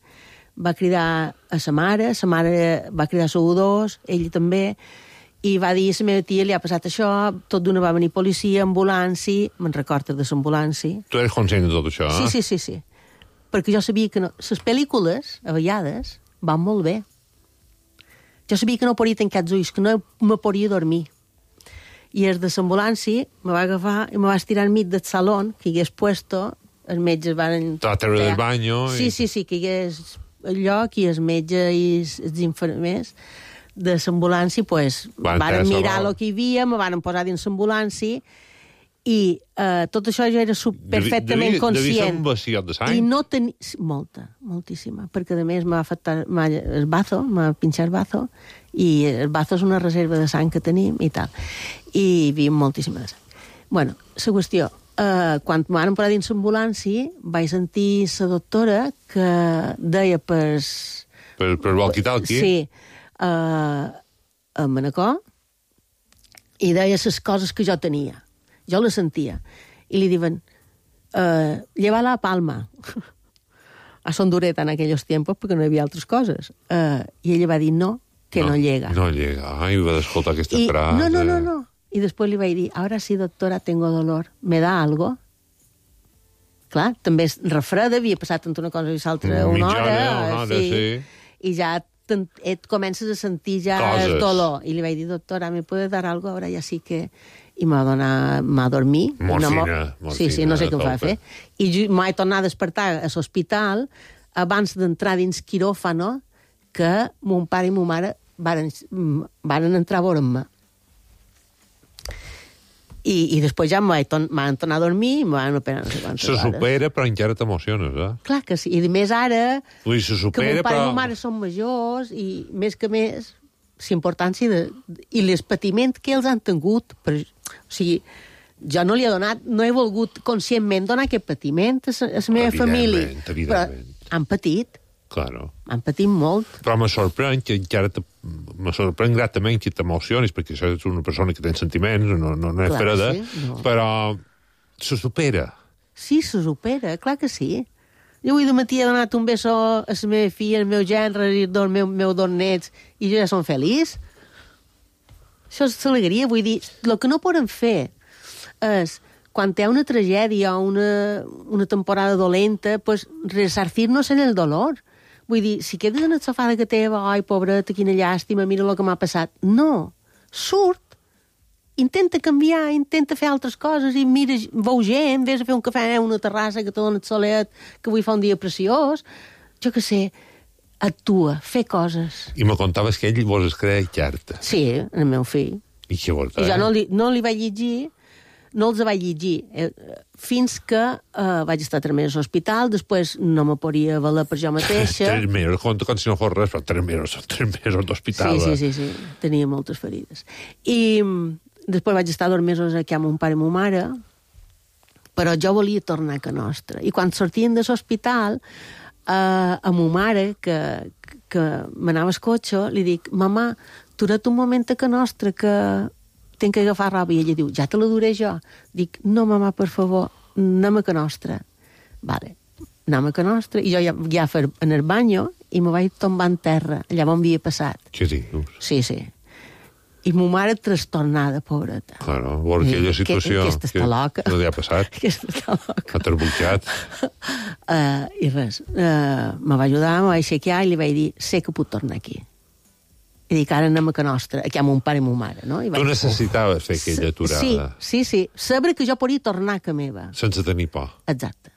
va cridar a sa mare va cridar a U2, ell també, i va dir a la meva tia, li ha passat això, tot d'una va venir policia, ambulància, me'n recordes de l'ambulància. Tu eres conscient de tot això, eh? Sí. Perquè jo sabia que les pel·lícules, a vegades, van molt bé. Jo sabia que no podia tancar els ulls, que no me podia dormir. I els de l'ambulància me va agafar i me va estirar enmig del saló que hi hagués puesto, els metges van... Te va treure del banyo... Sí, que hi hagués el lloc i els metges i els infermers de l'ambulància, pues, van mirar el que hi havia, me van posar dins l'ambulància i tot això jo era perfectament conscient. Devia ser un vaciot de sang? I no tenia... moltíssima, perquè a més m'ha afectat el bazo, m'ha pinxat el bazo, i el bazo és una reserva de sang que tenim i tal. I hi havia moltíssima de sang. Bueno, la qüestió, quan m'han posat dins l'ambulància, vaig sentir la doctora que deia per walkie-talkie? Sí, a Manacor, i deia les coses que jo tenia. Jo les sentia. I li diuen, lleva la palma. A Son Dureta en aquells temps, perquè no hi havia altres coses. I ella va dir no, que no llega. No llega. Ai, va d'escoltar aquesta frase. No. I després li vaig dir, ahora sí, doctora, tengo dolor. ¿Me da algo? Clar, també és refreda, havia passat entre una cosa i l'altra una hora, sí. I ja et comences a sentir ja el dolor. I li vaig dir, doctora, ¿me puede dar algo? Ahora ja sí que... I m'ha dormir. Morfina. Sí, no sé què em va fer. I m'he tornat a despertar a l'hospital abans d'entrar dins quiròfano que mon pare i mon mare varen entrar a veure'm. I després ja m'han tornat a dormir i m'han operat no sé quantes hores. Se supera, però encara t'emociones, eh? Clar que sí. I més ara, se supera, que mon pare i mon mare són majors i més que més, l'importància i l'espatiment que ells han tingut. O sigui, jo no li he donat, no he volgut conscientment donar aquest patiment a la meva família. Però han patit. Claro. Han patit molt. Però me sorprèn que encara me sorprèn gratament que t'emocionis, perquè això és una persona que té sentiments, no és freda, però se supera. Sí, se supera, clar que sí. Jo avui de matí he donat un beso a la meva filla, al meu gendre, i als meus dos nets, i jo ja som feliç. Això és l'alegria, vull dir, el que no podem fer és, quan hi ha una tragèdia o una temporada dolenta, pues resarcir-nos en el dolor. Vull dir, si quedes en el sofà de que teva, ai, pobreta, quina llàstima, mira el que m'ha passat. No, surt, intenta canviar, intenta fer altres coses, i mira, veu gent, vés a fer un cafè a una terrassa que te dona el solet, que avui fa un dia preciós, jo què sé, actua, fer coses. I me contaves que ell vos es creia carta. Sí, el meu fill. I què vols dir? I jo no li vaig llegir, no els vaig llegir, fins que vaig estar 3 mesos a l'hospital, després no me podia valer per jo mateixa. 3 mesos, com si no fos res, però 3 mesos d'hospital. Sí, tenia moltes ferides. I després vaig estar 2 mesos aquí amb mon pare i mon mare, però jo volia tornar a Can Nostra. I quan sortien de l'hospital, a mon mare, que m'anava al cotxe, li dic, mamà, dura't un moment a Can Nostra, que tinc que agafar roba. I ella diu, ja te la duré jo. Dic, no, mamà, per favor, anem a Can Nostra. Vale, anem a Can Nostra. I jo ja en el banyo i me vaig tombar en terra, allà on havia passat. Què dius? Sí. I ma mare trastornada, pobreta. Claro, veure aquella situació... Aquesta està loca. No li ha passat. Aquesta està loca. Ha terbuixat. I res, me va ajudar, me va aixecar i li vaig dir, sé que puc tornar aquí. I dic, ara anem a Can Nostra, aquí amb mon pare i mon mare, no? Tu necessitaves fer aquella aturada. Sí. Saber que jo podia tornar a casa meva. Sense tenir por. Exacte.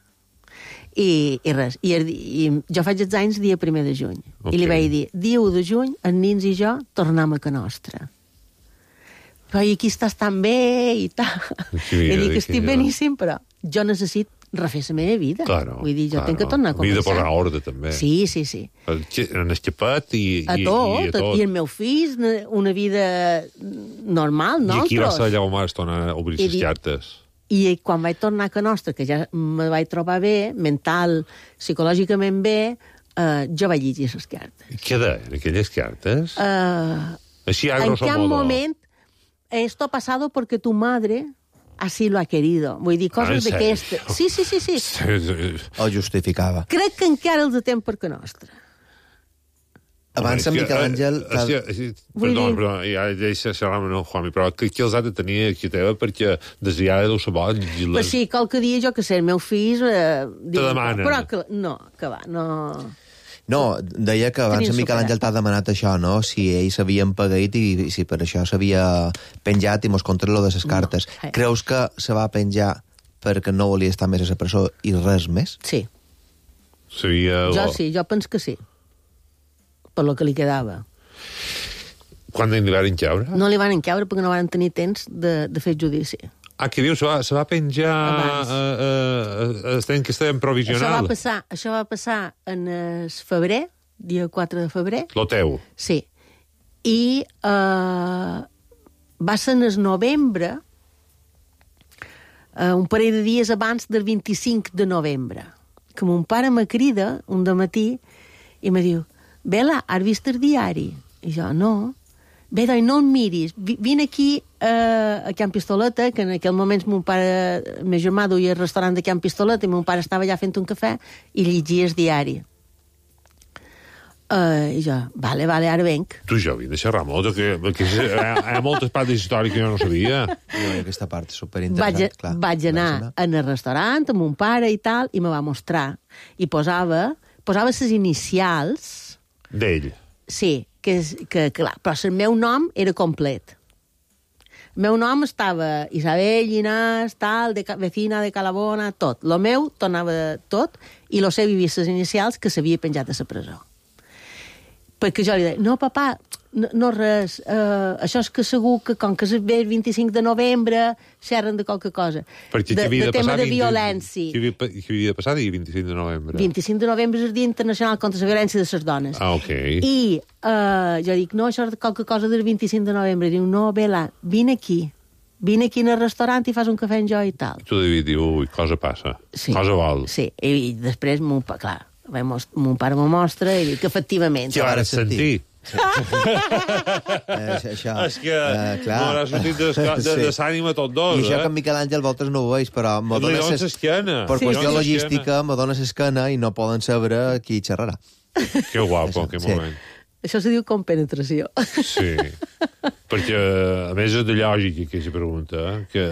I res. I jo faig els anys dia 1 de juny. Okay. I li vaig dir, dia 1 de juny, els nins i jo tornem a Can Nostra. Però aquí estàs tan bé i tal. I dic, estic beníssim, però jo necessito refer la meva vida. Claro, vull dir, jo tinc que tornar a començar. Vida per ordre, també. Sí. En el xapet i a tot. I el meu fill, una vida normal, nosaltres. I aquí va ser allà on vas tornar a obrir les cartes. I quan vaig tornar a Can Nostra, que ja me vaig trobar bé, mental, psicològicament bé, jo vaig llegir les cartes. Què deien aquelles cartes? Així, a grosso modo. En qué moment esto ha pasado porque tu madre así lo ha querido. Vull dir, coses d'aquestes. Sí. O justificava. Crec que encara els temps per Can Nostra. Abans en Miquel Àngel... Perdó, ja deixa xerrar amb el Juanmi, però que els ha de tenir aquí teva perquè desviada deu ser bo. Pues sí, qualque dia, jo que sé, el meu fill... Te demanen. Però que va, no... No, deia que abans en Miquel Àngel t'ha demanat això, no? Si ell s'havien pagat i si per això s'havia penjat i mos contra lo de les cartes. Creus que se va penjar perquè no volia estar més a la presó i res més? Sí. Jo penso que sí. Per lo que li quedava. Quan li van encaure? No li van encaure perquè no van tenir temps de fer judici. Què dius? Se va penjar que estàvem provisional? Això va passar en el febrer, dia 4 de febrer. Lo teu? Sí. I va ser en el novembre, un parell de dies abans del 25 de novembre, que mon pare me crida un dematí i me diu, Bela, has vist el diari? I jo, no. Bé, doncs no em miris, vine aquí a Can Pistoleta, que en aquell moment mon pare, meu germà duia el restaurant de Can Pistoleta i mon pare estava allà fent un cafè i llegia el diari. I jo, vale, ara venc. Tu jo vinc de xerrar molt, que hi ha moltes parts d'història que jo no sabia. Aquesta part és superinteressant. Vaig anar en el restaurant amb mon pare i tal, i me va mostrar. I posava les inicials... D'ell. Sí, clar, però el meu nom era complet. El meu nom estava Isabel Llinàs, tal, vecina de Calabona, tot. Lo meu tornava tot, i lo seu hi havia les inicials que s'havia penjat a la presó. Perquè jo li deia, no, papà, no res, això és que segur que com que es ve el 25 de novembre xerren de qualque cosa. De tema de violència. Què havia de passar dia 25 de novembre? 25 de novembre és el Dia Internacional contra la Violència de les Dones. Ah, ok. I jo dic, no, això és qualque cosa del 25 de novembre. Diu, no, Bela, vine aquí en el restaurant i fas un cafè amb jo i tal. Tu devies dir, ui, cosa passa, cosa vol. Sí, i després, clar, mon pare m'ho mostra i dic, efectivament. Ja vas sentir. Això. És que m'haurà sortit de s'ànima tot dos. I això que en Miquel Àngel voltes no ho veus, però per qüestió logística me dona l'esquena i no poden saber qui xerrarà. Que guapo, que moment. Això se diu compenetració. Sí, perquè a més és de lògica aquesta pregunta, que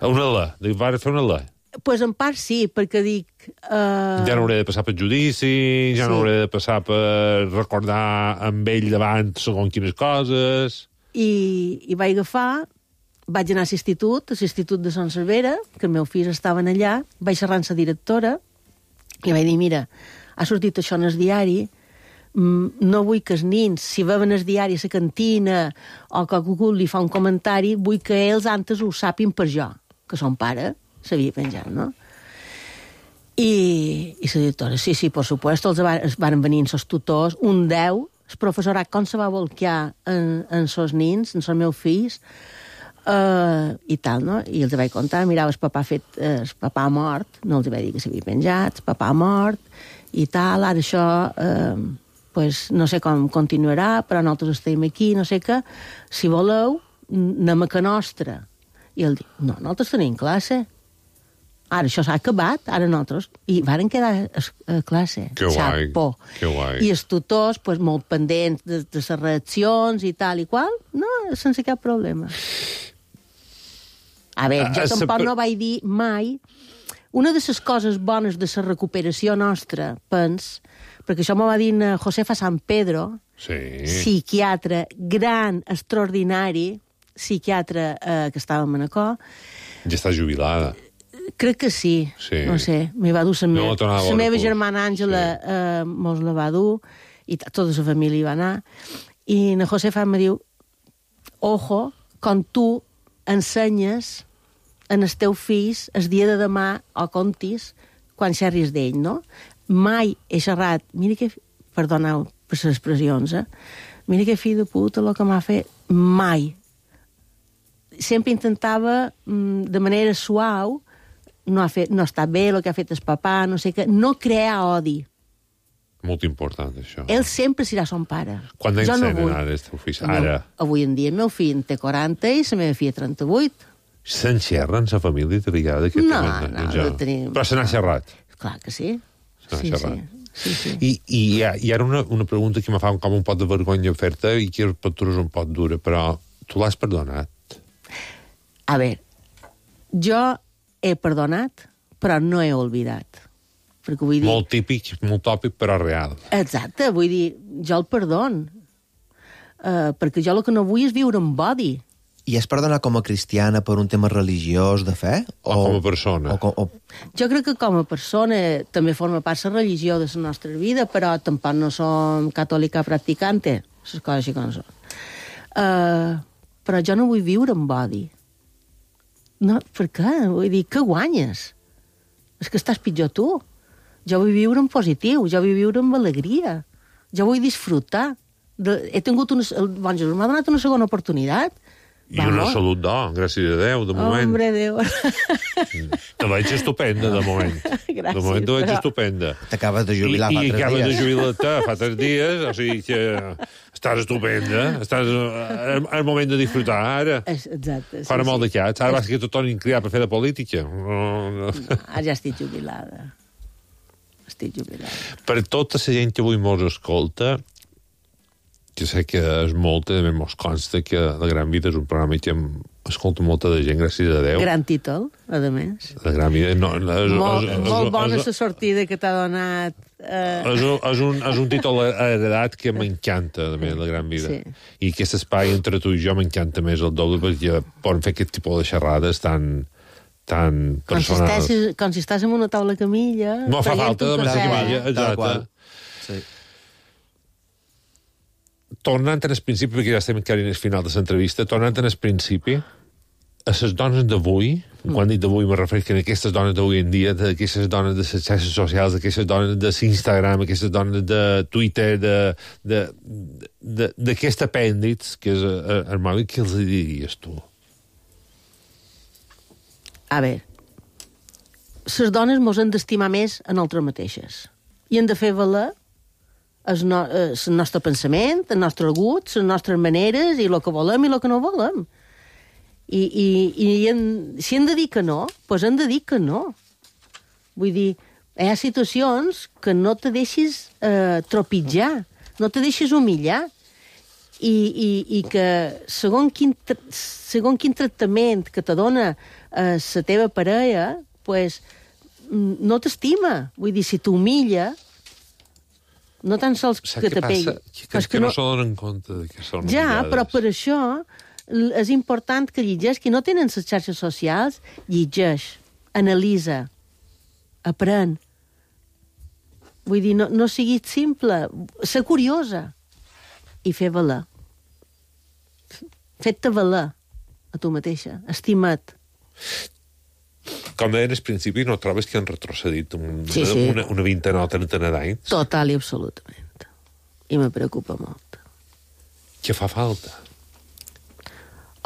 una L, va fer una L. Pues en part sí, perquè dic... Ja no hauré de passar per judici, ja no hauré de passar per recordar amb ell davant segons quines coses... I vaig agafar, vaig anar a l'institut de Son Cervera, que el meu fill estaven allà, vaig xerrar amb la directora, i vaig dir, mira, ha sortit això en el diari, no vull que els nins, si veuen el diari a la cantina o que algú li fa un comentari, vull que ells antes ho sàpin per jo, que son pare s'havia penjat, no? I la directora, sí, per supuesto, els van venir els tutors, un 10, el professorat com se va volcar en els nins, en els meus fills, i tal, no? I els vaig contar, mirava, el papà mort, no els vaig dir que s'havia penjat, el papà mort, i tal, ara això, pues, no sé com continuarà, però nosaltres estem aquí, no sé què, si voleu, anem a Can Nostra. I ell diu, no, nosaltres tenim classe. Ara això s'ha acabat, ara nosaltres... I varen quedar a classe. Que guai, que guai. I els tutors, pues, molt pendents de les reaccions i tal i qual, no, sense cap problema. A veure, jo tampoc no vaig dir mai... una de les coses bones de la recuperació nostra, perquè això m'ho va dir Josefa San Pedro, psiquiatre gran, extraordinari, psiquiatre que estava a Manacor. Ja està jubilada. Crec que sí. No sé, m'hi va dur la meva germana Àngela, mos la va dur, i tota la família hi va anar. I na Josefa em diu, ojo, quan tu ensenyes en els teus fills el dia de demà o contis quan xerris d'ell, no? Mai he xerrat, mira que... Perdoneu per les expressions, mira que fill de puta el que m'ha fet. Mai. Sempre intentava, de manera suau, no està bé el que ha fet el papà, no sé què, no crear odi. Molt important, això. Ell sempre serà son pare. Quant anys tenen ara, el teu fill? Ara? Avui en dia el meu fill té 40 i la meva filla 38. Se'n xerra en la família de vegada? No tenim... Però se n'ha xerrat? Clar que sí. Sí. I ara una pregunta que me fa com un pot de vergonya fer-te i que per tu és un pot dura, però tu l'has perdonat? A veure, jo he perdonat, però no he oblidat. Perquè vull dir... Molt típic, molt tòpic, però real. Exacte, vull dir, jo el perdon. Perquè jo el que no vull és viure amb odi. I has perdonat com a cristiana per un tema religiós de fe? O com a persona? Jo crec que com a persona també forma part la religió de la nostra vida, però tampoc no som catòlica practicante, les coses així com són. Però jo no vull viure amb odi. No, per què? Vull dir, què guanyes? És que estàs pitjor tu. Jo vull viure en positiu, jo vull viure amb alegria, jo vull disfrutar. He tingut bon Jesús m'ha donat una segona oportunitat. I una salut gràcies a Déu, de moment. Hombre, Déu. Te veig estupenda, de moment. Gràcies. De moment te veig estupenda. T'acabes de jubilar fa 3 dies. I acabes de jubilar-te fa 3 dies, o sigui que estàs estupenda, estàs al moment de disfrutar ara. Exacte. Fora molt de cats. Ara vas que tot tornin criat per fer de política. Ara ja estic jubilada. Per tota la gent que avui mos escolta, que sé que és molta, també mos consta que La Gran Vida és un programa que escolta molta de gent, gràcies a Déu. Gran títol, a més. La Gran Vida... Molt bona la sortida que t'ha donat. És un títol heredat que m'encanta, també, La Gran Vida. I aquest espai entre tu i jo m'encanta més el doble, perquè poden fer aquest tipus de xerrades tan personals. Com si estàs en una taula camilla... No fa falta de massa camilla, exacte. Sí. Tornant al principi, perquè ja estem encara en el final de l'entrevista, tornant al principi, a les dones d'avui, quan dic d'avui me refereixo a aquestes dones d'avui en dia, d'aquestes dones de les xarxes socials, d'aquestes dones de l'Instagram, aquestes dones de Twitter, d'aquest apèndix que és el mòbil, què els diries tu? A veure, les dones mos han d'estimar més a nosaltres mateixes i hem de fer valer el nostre pensament, el nostre gust, les nostres maneres i el que volem i el que no volem. I si hem de dir que no, doncs hem de dir que no. Vull dir, hi ha situacions que no te deixis tropitjar, no te deixis humillar i que segons quin tractament que te dona la teva parella, doncs no t'estima. Vull dir, si t'humilla, no tan sols que te pegui. Que no se donen compte de que són humillades. Ja, però per això és important que llegeix, qui no tenen les xarxes socials, llegeix, analitza, aprèn. Vull dir, no siguis simple, ser curiosa i fer valer. Fet-te valer a tu mateixa, estima't. Com deien al principi, no trobes que han retrocedit una vintena o trentena d'anys? Total i absolutament. I me preocupa molt. Què fa falta?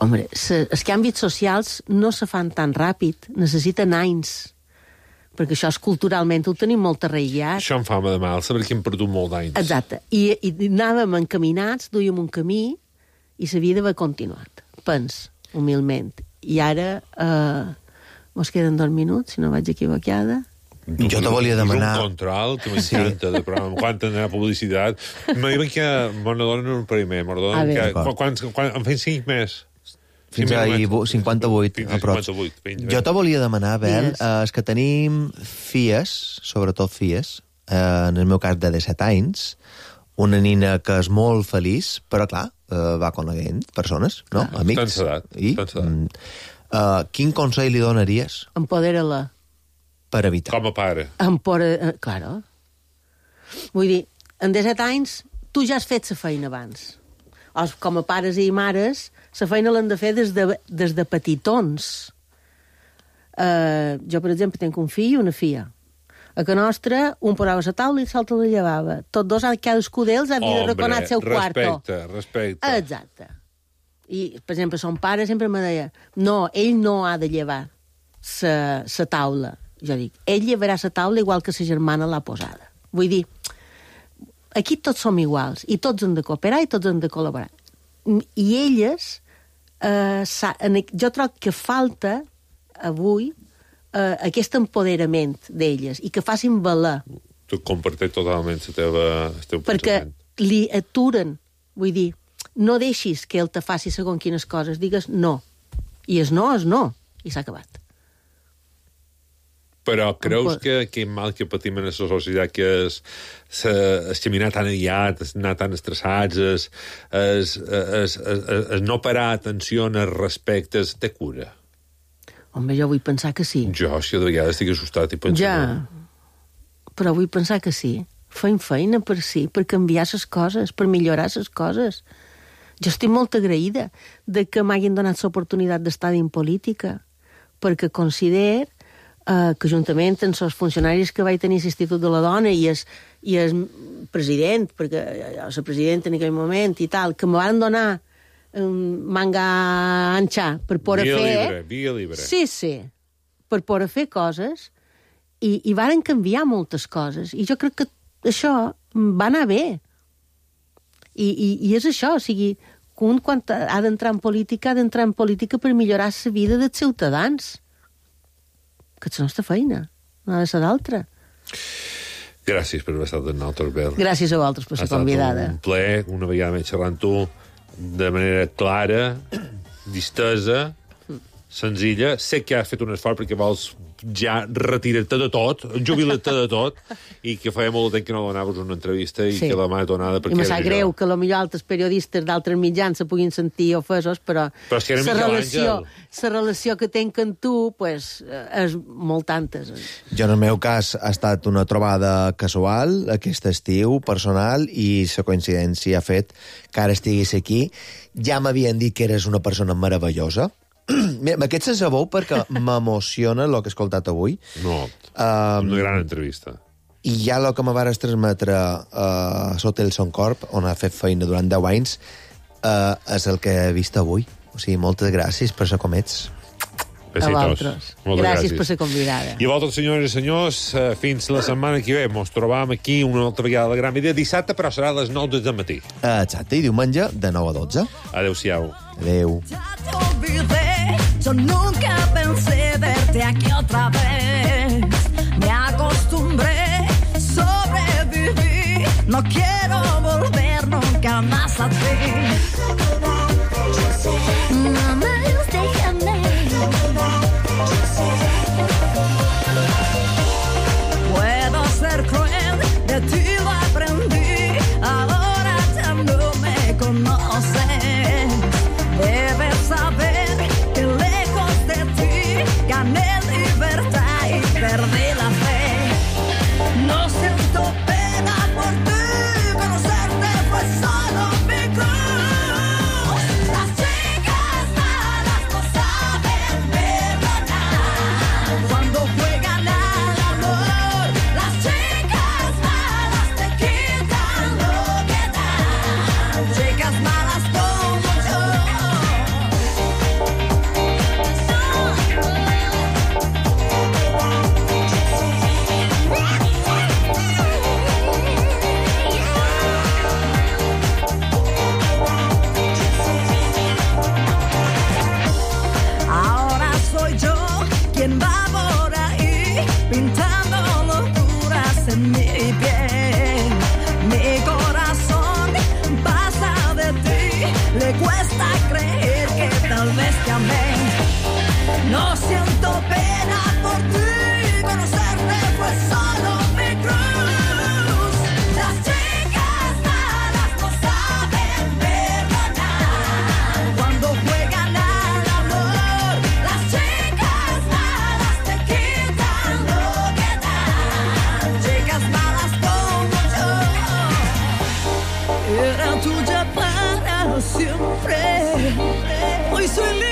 Home, els canvis socials no se fan tan ràpid, necessiten anys. Perquè això és culturalment, ho tenim molt arraigat. Això em fa de mal, saber que hem perdut molt d'anys. Exacte. I anàvem encaminats, duíem un camí, i la vida va continuat. Pens, humilment. I ara... mos queden 2 minuts, si no vaig equivocada. Jo te volia demanar... És un control que m'encanta, de programa. Quan tindrà publicitat... Me diuen que me donen un primer, me donen que... Quan en fem 5 més. Fins a 58, a prop. Jo te volia demanar, Bel, és que tenim filles, sobretot filles, en el meu cas de 17 anys, una nina que és molt feliç, però clar, va coneguent persones, no? Amics. Tants edat. Quin consell li donaries? Empodera-la. Per evitar. Com a pare. Claro. Vull dir, en 17 anys, tu ja has fet la feina abans. Com a pares i mares, la feina l'han de fer des de petitons. Jo, per exemple, tinc un fill i una filla. A que nostra, un posava a la taula i l'altre la llevava. Tots dos, cadascú d'ells ha de reconar el seu quarto. Respecte. Exacte. I, per exemple, son pare sempre me deia no, ell no ha de llevar la taula. Jo dic, ell llevarà la taula igual que sa germana l'ha posada. Vull dir, aquí tots som iguals, i tots hem de cooperar i tots hem de col·laborar. I elles, jo trobo que falta avui aquest empoderament d'elles i que facin valer. Tu comparteix totalment el teu pensament. Perquè li aturen, vull dir, no deixis que ell te faci segons quines coses, digues no. I és no, i s'ha acabat. Però creus que aquest mal que patim en la societat, que és caminar tan aviat, anar tan estressats, és no parar atenció en els respectes, té cura? Home, jo vull pensar que sí. Jo, si de vegades estic assustat i penso... Ja, però vull pensar que sí. Fem feina per sí, per canviar les coses, per millorar les coses. Jo estic molt agraïda de que m'hagin donat l'oportunitat d'estar en política, perquè considero que juntament amb els funcionaris que vaig tenir a l'Institut de la Dona i el president, perquè jo soc president en aquell moment i tal, que me van donar manga ancha per poder fer... Via libre. Sí, per poder fer coses i varen canviar moltes coses. I jo crec que això va anar bé. I és això, o sigui, un quan ha d'entrar en política, ha d'entrar en política per millorar la vida dels ciutadans. Que és la nostra feina, no ha de ser d'altra. Gràcies per haver estat en Altor Bel. Gràcies a vosaltres per ser convidada. Ha estat un plaer, una vegada més xerrant tu, de manera clara, distesa, senzilla. Sé que has fet un esforç perquè vols ja retirar-te de tot, jubilar-te de tot, i que feia molt de temps que no donaves una entrevista i que la mà donada... I me sap greu que potser altres periodistes d'altres mitjans se puguin sentir ofesos, però la relació que tenc amb tu és molt tantes. Jo, en el meu cas, ha estat una trobada casual, aquest estiu, personal, i la coincidència ha fet que ara estiguis aquí. Ja m'havien dit que eres una persona meravellosa. M'aquest se sabeu perquè m'emociona el que he escoltat avui. No, una gran entrevista. I ja el que me vares transmetre a Hotel Son Corp, on ha fet feina durant 10 anys, és el que he vist avui. O sigui, moltes gràcies per ser com ets. A vosaltres. Gràcies per ser convidada. I a vosaltres, senyores i senyors, fins la setmana que ve. Ens trobam aquí una altra vegada a la Gran Idea dissabte, però serà a les 9 del matí. Exacte, i diumenge de 9 a 12. Adéu-siau. Adéu. Yo nunca pensé verte aquí otra vez. Me acostumbré, sobreviví. No quiero volver nunca más a ti. Mamá, déjame. Puedo ser cruel, de ti lo aprendí. Ahora ya no me conoces. Debes saber que lejos de ti gané libertad y perdí la fe. No siento pena por ti, conocerte fue solo mi cruz. Las chicas soy libre.